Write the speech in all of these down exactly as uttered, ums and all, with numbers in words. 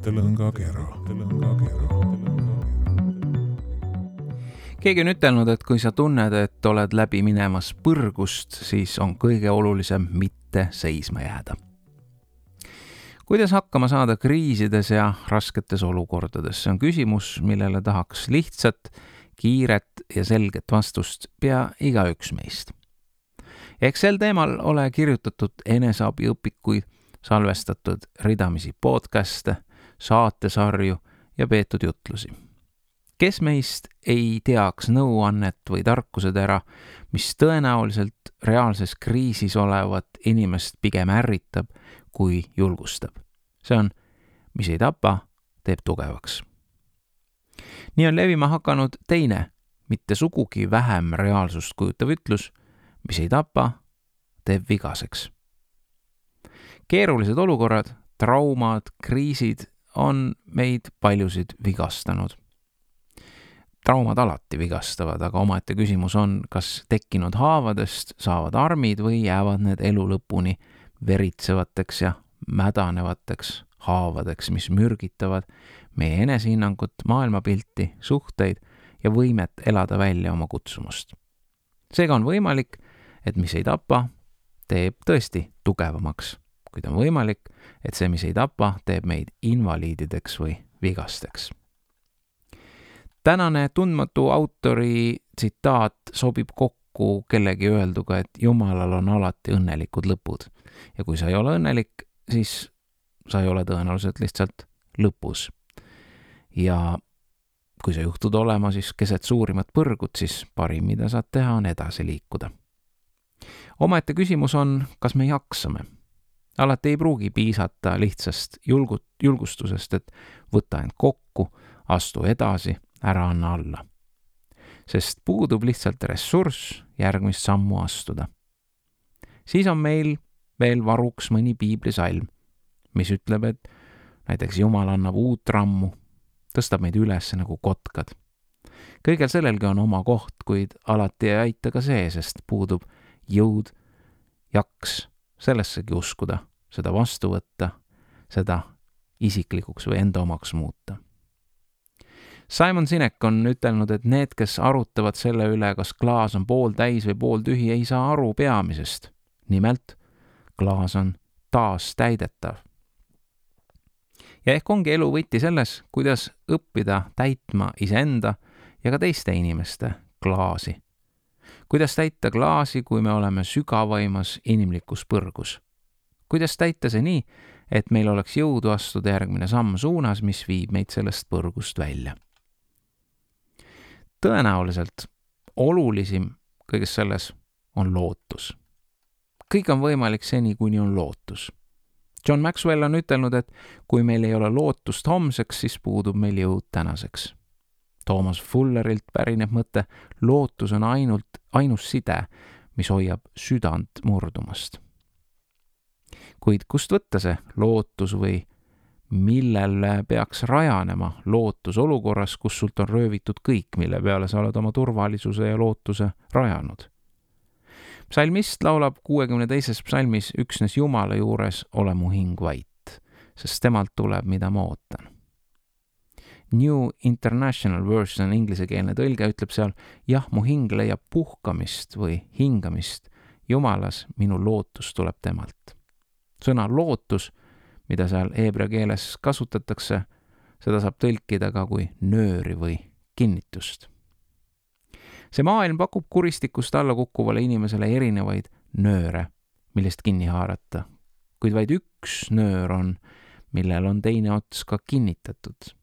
mõttelõngakera. Keegi on ütelnud, et kui sa tunned, et oled läbi minemas põrgust, siis on kõige olulisem mitte seisma jääda. Kuidas hakkama saada kriisides ja rasketes olukordades? See on küsimus, millele tahaks lihtsat, kiiret ja selget vastust pea igaüks meist. Eks sel teemal ole kirjutatud eneseabiõpikuid, salvestatud ridamisi podcaste, saatesarju ja peetud jutlusi. Kes meist ei teaks nõuannet või tarkusetera, mis tõenäoliselt reaalses kriisis olevat inimest pigem ärritab kui julgustab. See on, mis ei tapa, teeb tugevaks. Nii on levima hakanud teine, mitte sugugi vähem reaalsust kujutav ütlus, mis ei tapa, teeb vigaseks. Keerulised olukorrad, traumad, kriisid on meid paljusid vigastanud. Traumad alati vigastavad, aga omaette küsimus on, kas tekkinud haavadest saavad armid või jäävad need elu lõpuni veritsevateks ja mädanevateks haavadeks, mis mürgitavad meie enesehinnangut, maailmapilti, suhteid ja võimet elada välja oma kutsumust. Seega on võimalik, et mis ei tapa, teeb tõesti tugevamaks, kuid on võimalik, et see, mis ei tapa, teeb meid invaliidideks või vigasteks. Tänane tundmatu autori tsitaat sobib kokku kellegi öelduga, et Jumalal on alati õnnelikud lõpud. Ja kui sa ei ole õnnelik, siis sa ei ole tõenäoliselt lihtsalt lõpus. Ja kui sa juhtud olema siis keset suurimat põrgut, siis parim, mida saad teha, on edasi liikuda. Omaette küsimus on, kas me jaksame. Alati ei pruugi piisata lihtsast julgut, julgustusest, et võta end kokku, astu edasi, ära anna alla. Sest puudub lihtsalt ressurss järgmist sammu astuda. Siis on meil veel varuks mõni piiblisalm, mis ütleb, et näiteks Jumal annab uut rammu, tõstab meid üles nagu kotkad. Kõigel sellelgi on oma koht, kuid alati ei aita ka see, sest puudub jõud, jaks sellessegi uskuda, seda vastu võtta, seda isiklikuks või enda omaks muuta. Simon Sinek on ütelnud, et need, kes arutavad selle üle, kas klaas on pool täis või pool tühi, ei saa aru peamisest. Nimelt, klaas on taas täidetav. Ja ehk ongi elu võti selles, kuidas õppida täitma iseenda ja ka teiste inimeste klaasi. Kuidas täita klaasi, kui me oleme sügavaimas inimlikus põrgus? Kuidas täita see nii, et meil oleks jõudu astuda järgmine samm suunas, mis viib meid sellest põrgust välja? Tõenäoliselt olulisim kõiges selles on lootus. Kõik on võimalik seni, kuni on lootus. John Maxwell on ütelnud, et kui meil ei ole lootust homseks, siis puudub meil jõud tänaseks. Thomas Fullerilt pärineb mõte, lootus on ainult ainus side, mis hoiab südant murdumast. Kuid kust võtta see lootus või millele peaks rajanema lootus olukorras, kus sult on röövitud kõik, mille peale sa oled oma turvalisuse ja lootuse rajanud? Psalmist laulab kuuekümne teises psalmis üksnes Jumala juures ole mu hing vait, sest temalt tuleb, mida ma ootan. New International Version inglisekeelne tõlge ütleb seal, jah, mu hing leiab puhkamist või hingamist Jumalas, minu lootus tuleb temalt. Sõna lootus, mida seal heebrea keeles kasutatakse, seda saab tõlkida ka kui nööri või kinnitust. See maailm pakub kuristikust alla kukkuvale inimesele erinevaid nööre, millest kinni haarata, kuid vaid üks nöör on, millel on teine ots ka kinnitatud.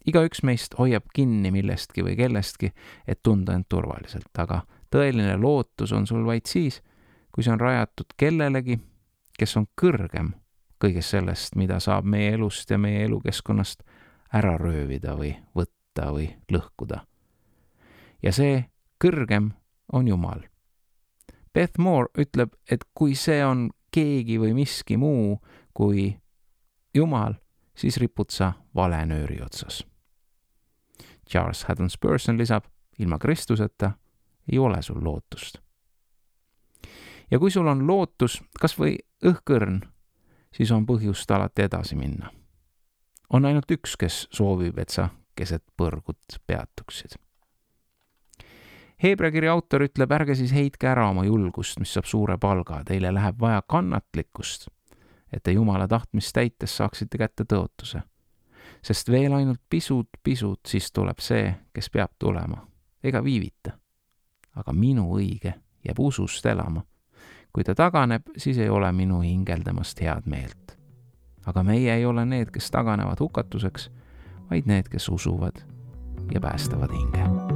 Igaüks meist hoiab kinni millestki või kellestki, et tunda end turvaliselt, aga tõeline lootus on sul vaid siis, kui see on rajatud kellelegi, kes on kõrgem kõigest sellest, mida saab meie elust ja meie elukeskkonnast ära röövida või võtta või lõhkuda. Ja see kõrgem on Jumal. Beth Moore ütleb, et kui see on keegi või miski muu kui Jumal, siis ripud sa vale nööri otsas. Charles Haddon Spurgeon lisab, ilma Kristuseta ei ole sul lootust. Ja kui sul on lootus, kas või õhkõrn, siis on põhjust alati edasi minna. on ainult üks, kes soovib, et sa keset põrgut peatuksid. Heebrea kirja autor ütleb, ärge siis heitke ära oma julgust, mis saab suure palga. Teile läheb vaja kannatlikkust, et te Jumala tahtmist täites saaksite kätte tõotuse. Sest veel ainult pisut, pisut, siis tuleb see, kes peab tulema. Ega viivita. Aga minu õige jääb usust elama. Kui ta taganeb, siis ei ole minu hingeldamast head meelt. Aga meie ei ole need, kes taganevad hukatuseks, vaid need, kes usuvad ja päästavad hinge.